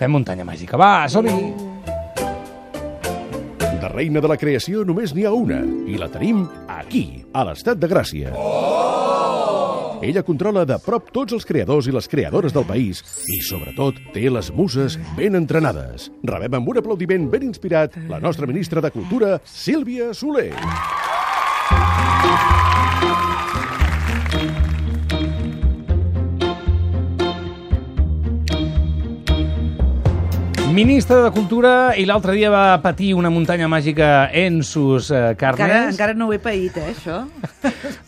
Fem muntanya màgica. Va, som-hi! De reina de la creació només n'hi ha una, i la tenim aquí, a l'Estat de Gràcia. Ella controla de prop tots els creadors i les creadores del país i, sobretot, té les muses ben entrenades. Rebem amb un aplaudiment ben inspirat la nostra ministra de Cultura, Sílvia Soler. Ministra de Cultura, i l'altre dia va patir una muntanya màgica en sus carnes. Encara no ho he paït, això.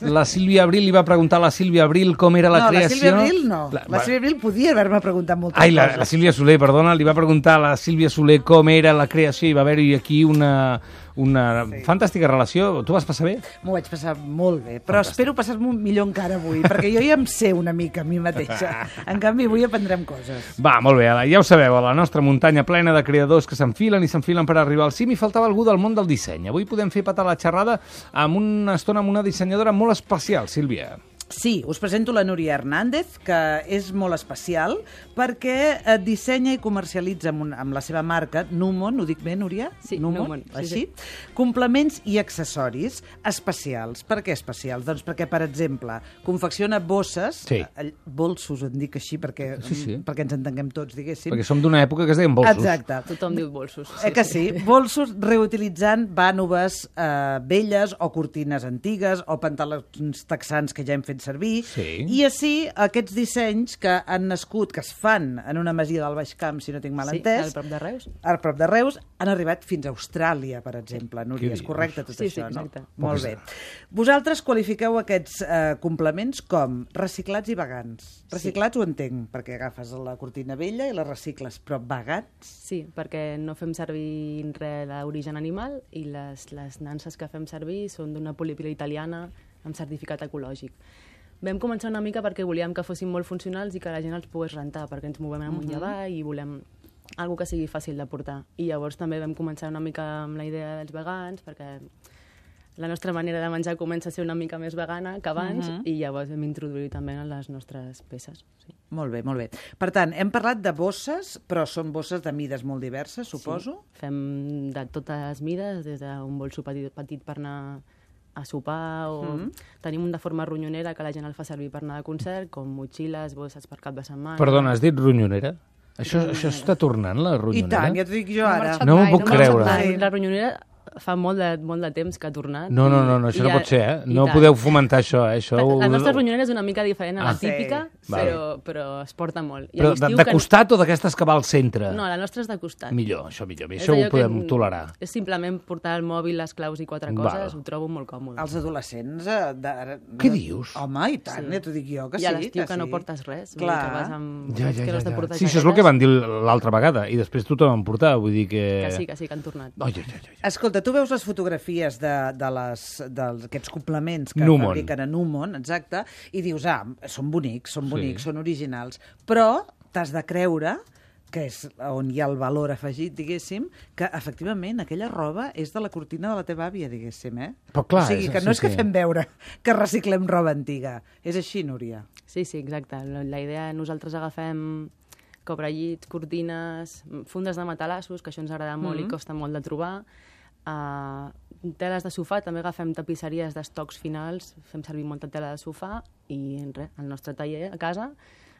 La Sílvia Abril li va preguntar a la Sílvia Abril com era la creació. No, la Sílvia Abril no. La Sílvia Abril podia haver-me preguntat moltes coses. La Sílvia Soler, perdona, li va preguntar a la Sílvia Soler com era la creació i va haver-hi aquí una fantàstica relació. Tu vas passar bé? M'ho vaig passar molt bé, però espero passar-m'ho millor encara avui, perquè jo ja em sé una mica a mi mateixa. En canvi, avui aprendrem coses. Va, molt bé, ja ho sabeu, a la nostra muntanya plena de creadors que s'enfilen i s'enfilen per arribar al cim, i faltava algú del món del disseny. Avui podem fer patar la xerrada amb una estona amb una dissenyadora molt especial, Sílvia. Sí, us presento la Núria Hernández, que és molt especial perquè dissenya i comercialitza amb la seva marca Numon, ho dic bé, Núria? Sí, Numon. Sí, així? sí. Complements i accessoris especials. Per què especials? Doncs perquè, per exemple, confecciona bosses, Sí. bolsos, en dic així perquè ens entenguem tots, diguéssim. Perquè som d'una època que es deien bolsos. Exacte. Tothom diu bolsos. Que sí? Bolsos reutilitzant vànoves velles o cortines antigues o pantalons texans que ja hem fet servir, Sí. i així aquests dissenys que han nascut, que es fan en una masia del Baix Camp, si no tinc mal entès, al prop de Reus. al prop de Reus, han arribat fins a Austràlia, per exemple. Núria, Què és dius? correcte tot Sí, això, sí, exacte. no? Molt bé. Vosaltres qualifiqueu aquests complements com reciclats i vegans. Reciclats ho entenc, perquè agafes la cortina vella i la recicles, però vegans? Sí, perquè no fem servir res d'origen animal i les nanses que fem servir són d'una polipila italiana amb certificat ecològic. Vam començar una mica perquè volíem que fossin molt funcionals i que la gent els pogués rentar, perquè ens movem amunt i avall i volem algo que sigui fàcil de portar. I llavors també vam començar una mica amb la idea dels vegans, perquè la nostra manera de menjar comença a ser una mica més vegana que abans, i llavors vam introduir també en les nostres peces. Sí. Molt bé, molt bé. Per tant, hem parlat de bosses, però són bosses de mides molt diverses, suposo? Sí. Fem de totes les mides, des d'un bolso petit per anar a sopar, o tenim un de forma ronyonera que la gent el fa servir per anar de concert, com motxilles, bosses per cap de setmana. Perdona, has dit ronyonera? Això està tornant, la I ronyonera? tant, ja t'ho dic jo ara. No m'ho puc creure. La ronyonera fa molt de temps que ha tornat. No, això no pot ser, eh? No podeu fomentar això, eh? La nostra ronyonera és una mica diferent a la típica, sí. però es porta molt. I Però de costat o d'aquestes que va al centre? No, la nostra és de costat. Millor, això ho podem tolerar. És simplement portar el mòbil, les claus i quatre coses, ho trobo molt còmode. Els adolescents... Què dius? Home, i tant, ja t'ho dic jo, que sí. I a l'estiu que no portes res. Clar. Que vas amb... Ja. portar Sí, això és el que van dir l'altra vegada, i després tothom en portava, vull dir que... Que sí, que han tornat. Escolta, tu veus les fotografies d'aquests complements que Numon. fabriquen a Numon, exacte, i dius, són bonics, són originals, però t'has de creure, que és on hi ha el valor afegit, diguéssim, que efectivament aquella roba és de la cortina de la teva àvia, diguéssim, eh? Però clar, o sigui, que no és que fem veure que reciclem roba antiga. És així, Núria? Sí, exacte. La idea, nosaltres agafem cobrellits, cortines, fundes de matalassos, que això ens agrada molt i costa molt de trobar, teles de sofà, també agafem tapisseries d'estocs finals, fem servir molta tela de sofà i res, el nostre taller a casa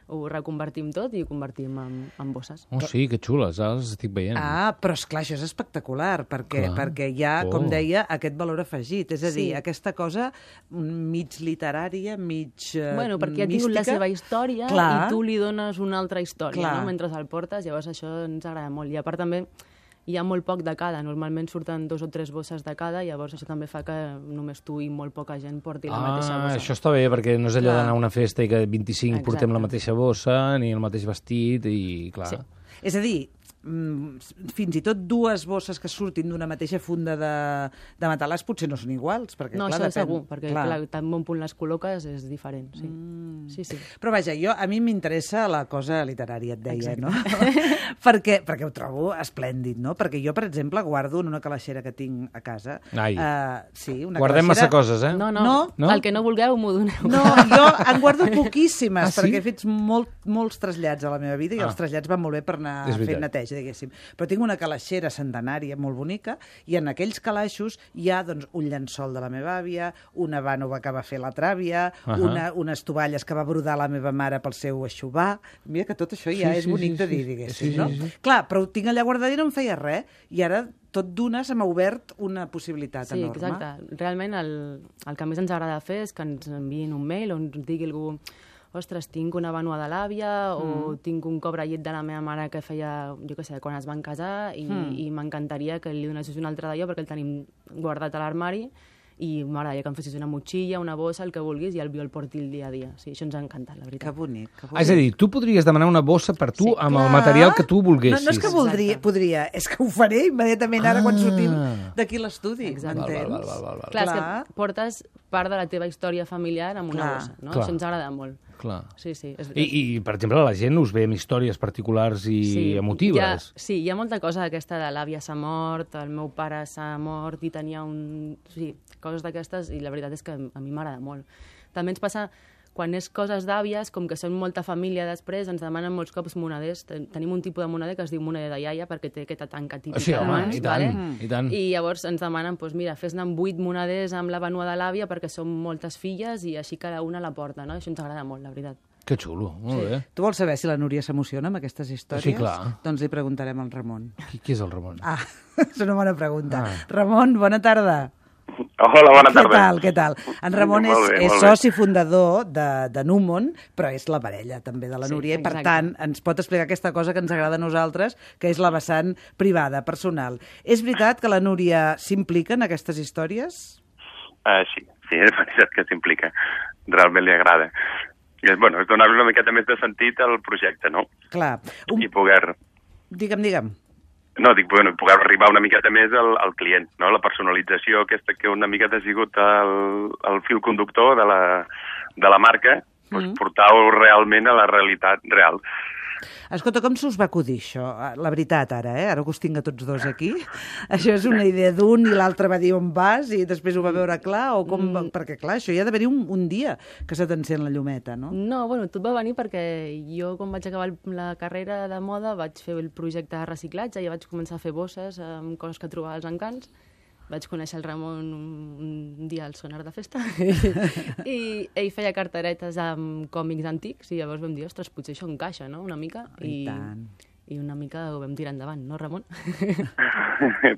ho reconvertim tot i ho convertim en bosses. Oh, sí, que xules, ara les estic veient. Però esclar, això és espectacular, perquè hi ha, com deia, aquest valor afegit. És a dir, aquesta cosa mig literària, mig Bueno, perquè ha tingut la seva història i tu li dones una altra història, no? Mentre el portes, llavors això ens agrada molt. I a part també hi ha molt poc de cada, normalment surten 2 o 3 bosses de cada, llavors això també fa que només tu i molt poca gent porti la mateixa bossa. Això està bé, perquè no és allò d'anar a una festa i que 25 portem la mateixa bossa, ni el mateix vestit, i clar... Sí. És a dir, fins i tot dues bosses que surtin d'una mateixa funda de matalàs potser no són iguals. Perquè, No, clar, això depèn. segur, perquè clar, tan bon punt les col·loques és diferent, sí. Sí. Però vaja, a mi m'interessa la cosa literària, et deia, no? perquè ho trobo esplèndid, no? Perquè jo, per exemple, guardo en una calaixera que tinc a casa. Ai. Sí, una Guardem massa coses, eh? No, No? el que no vulgueu m'ho doneu. No, jo en guardo poquíssimes, sí? perquè he fet molts trasllats a la meva vida i els trasllats van molt bé per anar És veritat. fent neteja, diguéssim. Però tinc una calaixera centenària molt bonica i en aquells calaixos hi ha doncs, un llençol de la meva àvia, una vànova que va fer la tràvia, unes tovalles que va brodar la meva mare pel seu eixuvar. Mira que tot això ja és bonic de dir, diguéssim, no? Clar, però ho tinc allà guardat i no em feia res. I ara tot d'una se m'ha obert una possibilitat enorme. Sí, exacte. Realment el que més ens agrada fer és que ens enviïn un mail on ens digui algú ostres, tinc una vànua de l'àvia o tinc un cobrellet de la meva mare que feia, jo què sé, quan es van casar i m'encantaria que li donessis un altre d'allò perquè el tenim guardat a l'armari i m'agradaria que em fessis una motxilla, una bossa, el que vulguis, i el porti el dia a dia. Sí, això ens ha encantat, la veritat. Que bonic, que bonic. És a dir, tu podries demanar una bossa per tu amb el Clar. material que tu volguessis. No és que podria, és que ho faré immediatament ara quan sortim d'aquí l'estudi, m'entens? Clar, és que portes part de la teva història familiar amb una bossa, no? Clar. Això ens agrada molt. Clar. Sí. I, per exemple, la gent us ve amb històries particulars i emotives. Hi ha molta cosa d'aquesta de l'àvia s'ha mort, el meu pare s'ha mort i tenia un... Sí, coses d'aquestes, i la veritat és que a mi m'agrada molt. També ens passa, quan és coses d'àvies, com que són molta família després, ens demanen molts cops moneders. Tenim un tipus de moneder que es diu moneder de iaia, perquè té aquesta tanca típica. Sí, home, d'abans, i tant, i tant. I llavors ens demanen, doncs mira, fes-ne amb 8 moneders amb la vànua de l'àvia, perquè són moltes filles i així cada una la porta, no? Això ens agrada molt, la veritat. Que xulo, molt bé. Tu vols saber si la Núria s'emociona amb aquestes històries? Sí, clar. Doncs li preguntarem al Ramon. Qui és el Ramon? És una bona pregunta. Ramon, bona tarda. Hola, bona tarda. Què tal? En Ramon és soci fundador de Numon, però és la parella també de la Núria, i per tant ens pot explicar aquesta cosa que ens agrada a nosaltres, que és la vessant privada, personal. És veritat que la Núria s'implica en aquestes històries? Sí, és veritat que s'implica. Realment li agrada. I és donar-li una miqueta més de sentit al projecte, no? Clar. I poder... Digue'm. No, poder arribar una miqueta més al client, no? La personalització aquesta que una miqueta ha sigut el fil conductor de la marca, portar-ho realment a la realitat real. Escolta, com s'us va acudir això? La veritat, ara que us tinc a tots dos aquí. Això és una idea d'un i l'altre va dir on vas i després ho va veure clar? O com... Perquè, clar, això hi ha d'haver-hi un dia que se t'encén la llumeta, no? No, tot va venir perquè jo, quan vaig acabar la carrera de moda, vaig fer el projecte de reciclatge i vaig començar a fer bosses amb coses que trobava als encants. Vaig conèixer el Ramon un dia al Sonar de Festa i ell feia carteretes amb còmics antics i llavors vam dir, ostres, potser això encaixa, no?, una mica. I tant. I una mica ho vam tirar endavant, no, Ramon?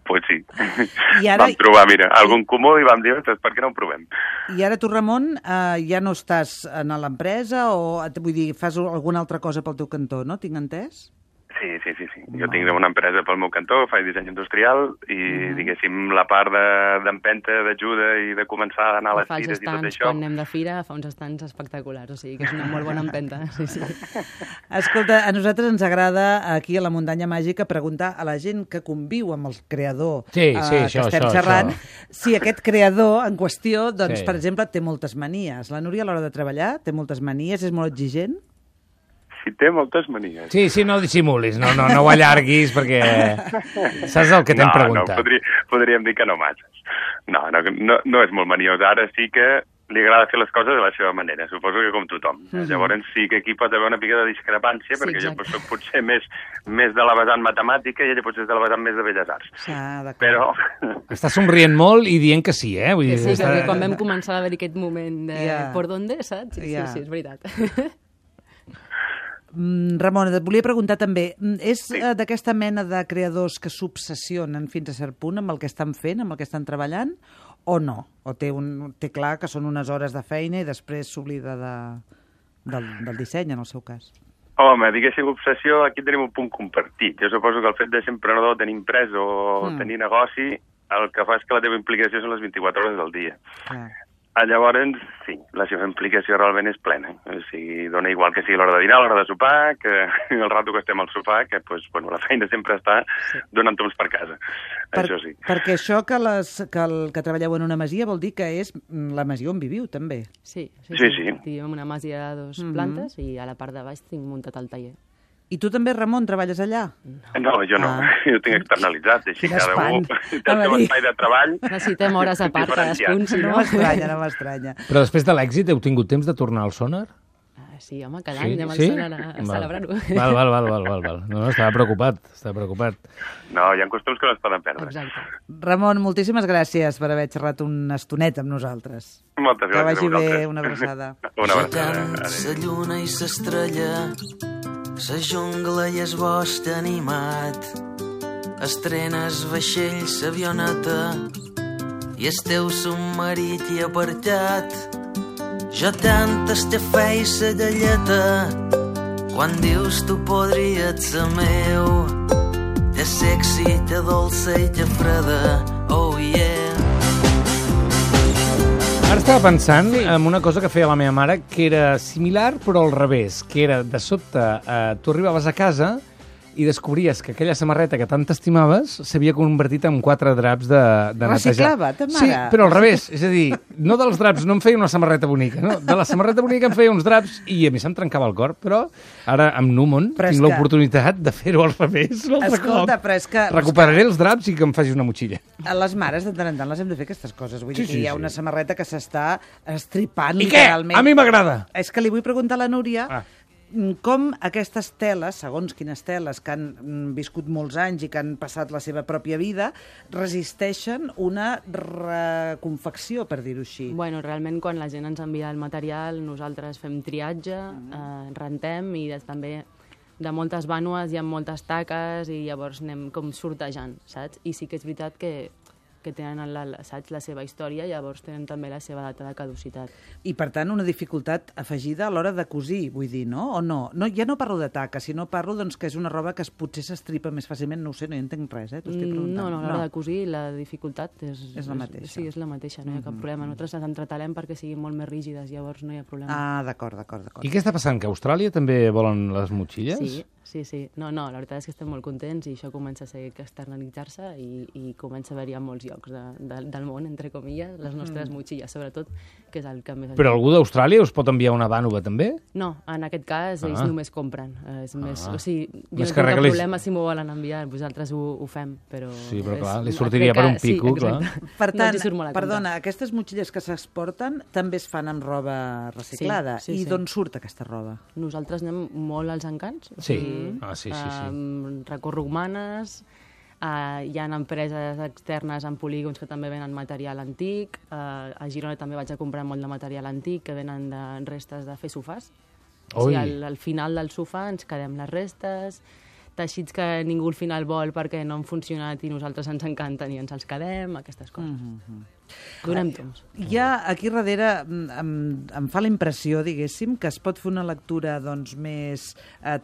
Pues sí. I ara... Vam trobar, mira, algun comú i vam dir, ostres, per què no ho provem? I ara tu, Ramon, ja no estàs a l'empresa o, vull dir, fas alguna altra cosa pel teu cantó, no? Tinc entès? Sí. Jo tinc una empresa pel meu cantó, faig disseny industrial i, diguéssim, la part d'empenta, d'ajuda i de començar a anar a les fires i tot això... Quan anem de fira fa uns estants espectaculars, o sigui que és una molt bona empenta. Sí. Escolta, a nosaltres ens agrada aquí a la Muntanya Màgica preguntar a la gent que conviu amb el creador que estem xerrant si aquest creador en qüestió, doncs, per exemple, té moltes manies. La Núria a l'hora de treballar té moltes manies, és molt exigent? Sí, té moltes manies. Sí, no dissimulis, no ho allarguis, perquè saps el que t'hem preguntat. No, podríem dir que no masses. No és molt maniós. Ara sí que li agrada fer les coses de la seva manera, suposo que com tothom. Llavors sí que aquí pot haver una mica de discrepància, perquè jo soc potser més de la vessant matemàtica i ella potser és de la vessant més de belles arts. Però... Està somrient molt i dient que sí, eh? Vull dir, perquè quan vam començar a haver aquest moment de por dónde, saps? Sí, és veritat. Ramon, et volia preguntar també, és d'aquesta mena de creadors que s'obsessionen fins a cert punt amb el que estan fent, amb el que estan treballant, o no? O té clar que són unes hores de feina i després s'oblida del disseny, en el seu cas? Home, diguéssim, obsessió, aquí tenim un punt compartit. Jo suposo que el fet de ser emprenedor, tenir empresa o tenir negoci, el que fa és que la teva implicació són les 24 hores del dia. Llavors, sí, la seva implicació realment és plena. O sigui, dona igual que sigui l'hora de dinar, l'hora de sopar, que el rato que estem al sofà, que pues, bueno, la feina sempre està donant toms per casa. Això sí. Perquè això que treballeu en una masia vol dir que és la masia on viviu, també. Sí. Sí. Vivim en una masia de 2 plantes i a la part de baix tinc muntat el taller. I tu també, Ramon, treballes allà? No, jo no. Jo tinc externalitzat, així cada un té el seu espai de treball. Necessitem hores a part cadascun, si no... No m'estranya. Però després de l'èxit heu tingut temps de tornar al Sonar? Sí, home, cada any anem al Sonar a celebrar-ho. Val. No, estava preocupat. No, hi ha costums que no es poden perdre. Exacte. Ramon, moltíssimes gràcies per haver xerrat una estoneta amb nosaltres. Moltes gràcies a vosaltres. Que vagi bé, una abraçada. Una abraçada. La lluna i s'estrella, sa jungla i es bosc animat, estrenes vaixells, avioneta, i el teu submarit hi aparcat. Jo tant estefei sa galleta, quan dius tu podries ser meu, te sexy, te dolça i te freda, oh yeah. Ara estava pensant en una cosa que feia la meva mare, que era similar, però al revés, que era, de sobte, tu arribaves a casa i descobries que aquella samarreta que tant t'estimaves s'havia convertit en 4 draps de netejar. Reciclava, ta mare? Sí, però al revés. És a dir, no dels draps no em feia una samarreta bonica, no? De la samarreta bonica em feia uns draps i a mi se'm trencava el cor, però ara amb Numon tinc l'oportunitat de fer-ho al revés. Escolta, però és que... Recuperaré els draps i que em faci una motxilla. A les mares de tant en tant les hem de fer aquestes coses. Vull dir que hi ha una samarreta que s'està estripant I què? literalment. A mi m'agrada. És que li vull preguntar a la Núria... Com aquestes teles, segons quines teles que han viscut molts anys i que han passat la seva pròpia vida, resisteixen una reconfecció, per dir-ho així? Bueno, realment, quan la gent ens envia el material, nosaltres fem triatge, rentem i també de moltes vànues hi ha moltes taques i llavors anem com sortejant, saps? I sí que és veritat que tenen la seva història, llavors tenen també la seva data de caducitat. I, per tant, una dificultat afegida a l'hora de cosir, vull dir, no? O no? Ja no parlo de taca, sinó parlo doncs, que és una roba que potser s'estripa més fàcilment, no ho sé, no hi entenc res, t'ho estic preguntant. No, a l'hora de cosir la dificultat és la mateixa. Sí, és la mateixa, no hi ha cap problema. Nosaltres les entretalem perquè siguin molt més rígides, llavors no hi ha problema. Ah, d'acord. I què està passant? Que a Austràlia també volen les motxilles? Sí. No, la veritat és que estem molt contents i això comença a ser externalitzar-se i comença a haver-hi a molts llocs del món, entre comilles, les nostres motxilles, sobretot, que és el que més... Però algú d'Austràlia us pot enviar una vànova, també? No, en aquest cas ells només compren. És més, o sigui, jo no tinc cap problema si m'ho volen enviar, vosaltres ho fem, però... Sí, però clar, li sortiria per un pico, clar. Per tant, perdona, aquestes motxilles que s'exporten també es fan amb roba reciclada. I d'on surt aquesta roba? Nosaltres anem molt als encants. Sí. Sí. Recorro humanes, hi ha empreses externes en polígons que també venen material antic, a Girona també vaig a comprar molt de material antic que venen de restes de fer sofàs. O sigui, al final del sofà ens quedem les restes, teixits que ningú al final vol perquè no han funcionat i nosaltres ens encanten i ens els quedem, aquestes coses. Donem temps. Ja aquí darrere em fa la impressió, diguéssim, que es pot fer una lectura doncs, més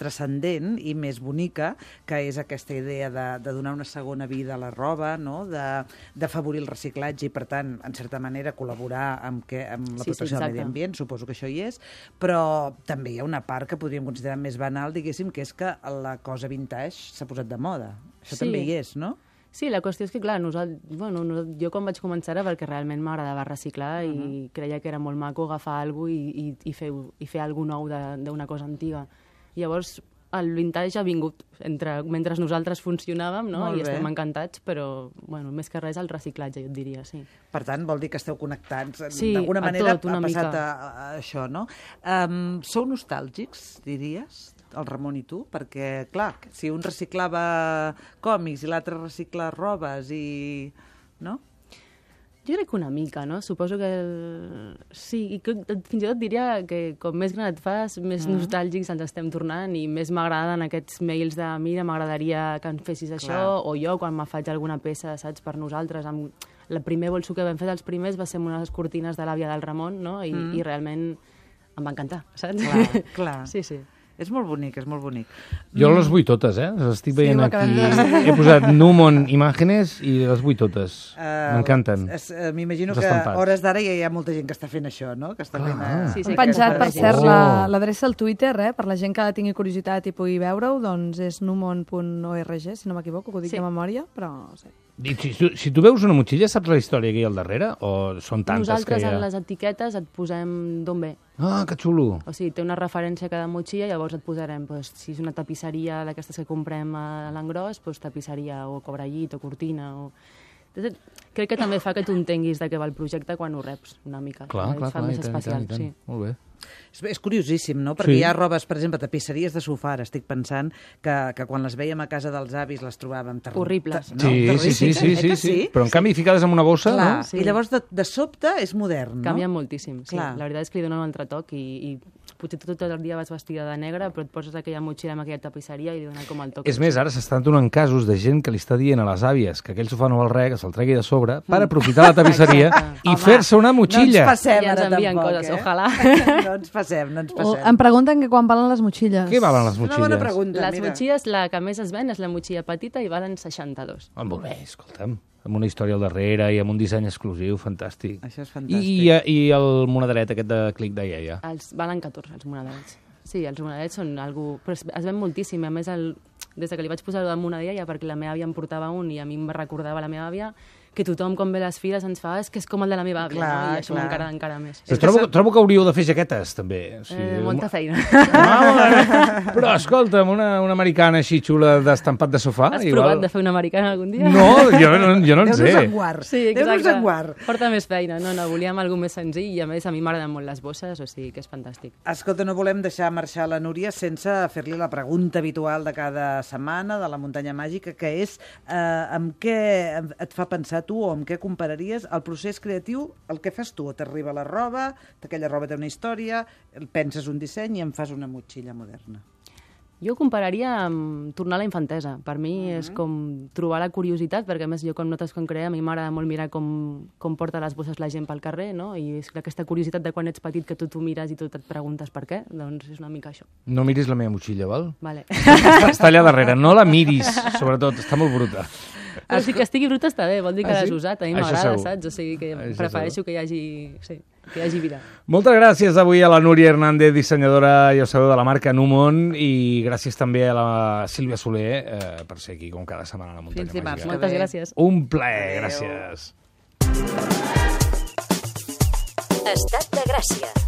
transcendent i més bonica, que és aquesta idea de donar una segona vida a la roba, no? D'afavorir el reciclatge i, per tant, en certa manera, col·laborar amb la protecció del medi ambient, suposo que això hi és, però també hi ha una part que podríem considerar més banal, diguéssim, que és que la cosa vintage s'ha posat de moda. Això també hi és, no? Sí, la qüestió és que, clar, jo quan vaig començar era perquè realment m'agradava reciclar i creia que era molt maco agafar alguna cosa i fer alguna nou d'una cosa antiga. Llavors, el vintage ha vingut mentre nosaltres funcionàvem, no? I estem encantats, però, més que res, el reciclatge, jo et diria, sí. Per tant, vol dir que esteu connectats. Sí, d'alguna manera a tot, una mica. Ha passat a això, no? Sou nostàlgics, diries? El Ramon i tu, perquè, clar, si un reciclava còmics i l'altre recicla robes i... no? Jo crec que una mica, no? Suposo que... Sí, i fins i tot diria que com més gran et fas, més nostàlgics ens estem tornant i més m'agraden aquests mails de mira, m'agradaria que em fessis això, o jo quan me faig alguna peça, saps, per nosaltres. El primer bolso que vam fer dels primers va ser amb unes cortines de l'àvia del Ramon, no? I realment em va encantar, saps? Clar. Sí. És molt bonic, és molt bonic. Jo les vull totes, Les estic veient ho aquí. acabem He posat Numon imatges i les vull totes. M'encanten. M'imagino Els que estampats. a hores d'ara ja hi ha molta gent que està fent això, no? Que està fent... Sí, Hem penjat, per cert, Oh. l'adreça al Twitter, per la gent que tingui curiositat i pugui veure-ho, doncs és numon.org, si no m'equivoco, que ho dic de memòria, però... Sí. I si tu veus una motxilla, saps la història que hi ha al darrere? O són tantes Nosaltres que hi ha? en les etiquetes et posem d'on ve. Ah, que xulo. O sigui, té una referència a cada motxilla, llavors et posarem, doncs, si és una tapisseria d'aquestes que comprem a l'engròs, doncs tapisseria o cobrellit o cortina o... Crec que també fa que tu entenguis de què va el projecte quan ho reps una mica. Clar, Et fa més especial, sí. Molt bé. És curiosíssim, no? Perquè Sí. hi ha robes, per exemple, tapisseries de sofà, ara estic pensant que quan les veiem a casa dels avis les trobàvem Horribles. No? Sí. Però en canvi ficades en una bossa, Clar, no? Sí. I llavors de sobte és modern, no? Canvia moltíssim, sí. Clar. La veritat és que li dona un altre toc i potser tot el dia vas vestida de negre, però et poses aquella motxilla amb aquella tapisseria i li dona com el toc. És més, ara s'estan donant casos de gent que li està dient a les àvies que aquell sofà no val res, que se'l tregui de sobre, per aprofitar la tapisseria i Home, fer-se una motxilla. No ens passem Ja ens ara envien tampoc, coses, ojalà. No ens passem, no ens O passem. em pregunten que quan valen les motxilles. Què valen les Una motxilles? bona pregunta, Les mira. motxilles, la que més es ven és la motxilla petita i valen 62. Ah, molt bé, escolta'm. Amb una història al darrere i amb un disseny exclusiu, fantàstic. Això és fantàstic. I el monederet aquest de clic de iaia. Els valen 14, els monedets. Sí, els monedets són algú... Però es ven moltíssim. A més, des que li vaig posar-ho damunt a iaia, perquè la meva àvia em portava un i a mi em recordava la meva àvia, que tothom, quan ve a les fires, ens fa és que és com el de la meva àvia, Clar, no? I això clar. m'encara encara més. Trobo que hauríeu de fer jaquetes, també. O sigui, Molta feina. Però, escolta'm, una americana així xula d'estampat de sofà... Has provat de fer una americana algun dia? No, jo no en Déu-nos sé. en guard. Sí, Déu-nos exacte. en guard. Porta més feina. No, volíem alguna més senzill i, a més, a mi m'agraden molt les bosses, o sigui que és fantàstic. Escolta, no volem deixar marxar la Núria sense fer-li la pregunta habitual de cada setmana de la muntanya màgica, que és amb què et fa pensar tu o amb què compararies el procés creatiu, el que fas tu? T'arriba la roba, aquella roba té una història, penses un disseny i en fas una motxilla moderna. Jo compararia amb tornar a la infantesa. Per mi és com trobar la curiositat, perquè a més jo quan notes com crea, a mi m'agrada molt mirar com porta les bosses la gent pel carrer, no? I és aquesta curiositat de quan ets petit que tu mires i tot et preguntes per què, doncs és una mica això. No miris la meva motxilla, val? Vale. Està allà darrere, no la miris, sobretot, està molt bruta. Però si que estigui bruta està bé, vol dir que Ah, sí? l'has usat, a mi Això m'agrada, segur. saps? O sigui que Això prefereixo segur. que hi hagi vida. Moltes gràcies avui a la Núria Hernández, dissenyadora, ja ho sabeu, de la marca Numon, i gràcies també a la Sílvia Soler per ser aquí com cada setmana a la muntanya Fins dimarts. màgica. Moltes bé. gràcies. Un plaer, gràcies. Estat de Gràcia.